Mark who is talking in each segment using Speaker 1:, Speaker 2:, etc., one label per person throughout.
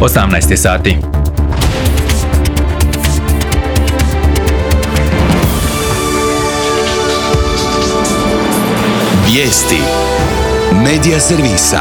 Speaker 1: 18 sati.
Speaker 2: Vijesti Medija servisa.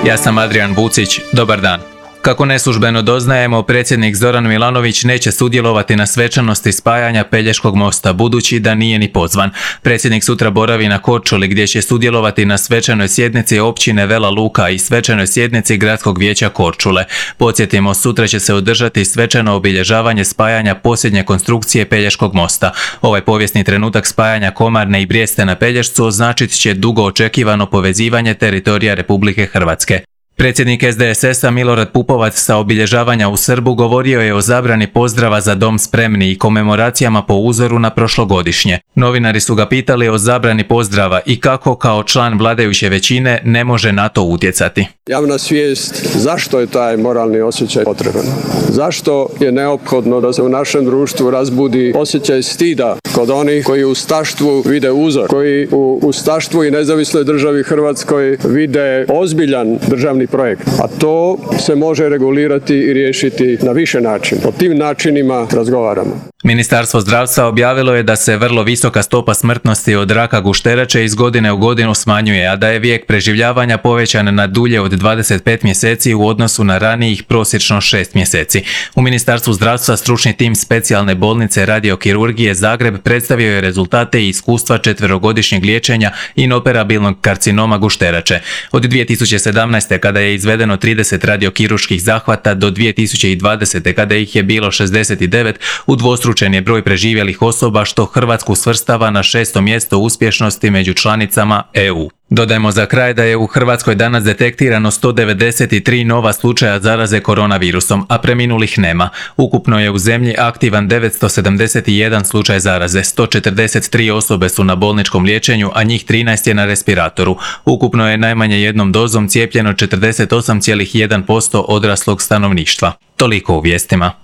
Speaker 1: Ja sam Adrian Bucić, dobar dan. Kako neslužbeno doznajemo, predsjednik Zoran Milanović neće sudjelovati na svečanosti spajanja Pelješkog mosta, budući da nije ni pozvan. Predsjednik sutra boravi na Korčuli, gdje će sudjelovati na svečanoj sjednici općine Vela Luka i svečanoj sjednici Gradskog vijeća Korčule. Podsjetimo, sutra će se održati svečano obilježavanje spajanja posljednje konstrukcije Pelješkog mosta. Ovaj povijesni trenutak spajanja Komarne i Brijeste na Pelješcu označit će dugo očekivano povezivanje teritorija Republike Hrvatske. Predsjednik SDSS-a Milorad Pupovac sa obilježavanja u Srbu govorio je o zabrani pozdrava za dom spremni i komemoracijama po uzoru na prošlogodišnje. Novinari su ga pitali o zabrani pozdrava i kako kao član vladajuće većine ne može na to utjecati.
Speaker 3: Javna svijest zašto je taj moralni osjećaj potreban? Zašto je neophodno da se u našem društvu razbudi osjećaj stida kod onih koji u ustaštvu vide uzor, koji u ustaštvu i nezavisnoj državi Hrvatskoj vide ozbiljan državni projekt, a to se može regulirati i riješiti na više načina. O tim načinima razgovaramo.
Speaker 1: Ministarstvo zdravstva objavilo je da se vrlo visoka stopa smrtnosti od raka gušterače iz godine u godinu smanjuje, a da je vijek preživljavanja povećan na dulje od 25 mjeseci u odnosu na ranijih prosječno 6 mjeseci. U Ministarstvu zdravstva stručni tim specijalne bolnice radiokirurgije Zagreb predstavio je rezultate i iskustva 4-godišnjeg liječenja inoperabilnog karcinoma gušterače. Od 2017. kada je izvedeno 30 radiokirurškkih zahvata do 2020. kada ih je bilo 69, udvostručen je broj preživjelih osoba, što Hrvatsku svrstava na 6. mjesto uspješnosti među članicama EU. Dodajmo za kraj da je u Hrvatskoj danas detektirano 193 nova slučaja zaraze koronavirusom, a preminulih nema. Ukupno je u zemlji aktivan 971 slučaj zaraze, 143 osobe su na bolničkom liječenju, a njih 13 je na respiratoru. Ukupno je najmanje jednom dozom cijepljeno 48,1% odraslog stanovništva. Toliko u vijestima.